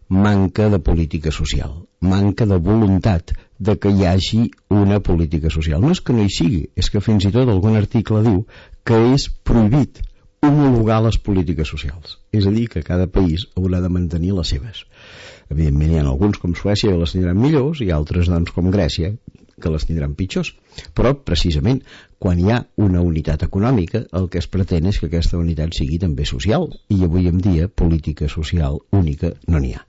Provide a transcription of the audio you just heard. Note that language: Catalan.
manca de política social, manca de voluntat de que hi hagi una política social. No és que no hi sigui, és que fins i tot algun article diu que és prohibit homologar les polítiques socials, és a dir, que cada país haurà de mantenir les seves. Evidentment hi ha alguns com Suècia que les tindran millors i altres doncs, com Grècia que les tindran pitjors, però precisament quan hi ha una unitat econòmica el que es pretén és que aquesta unitat sigui també social, i avui en dia política social única no n'hi ha.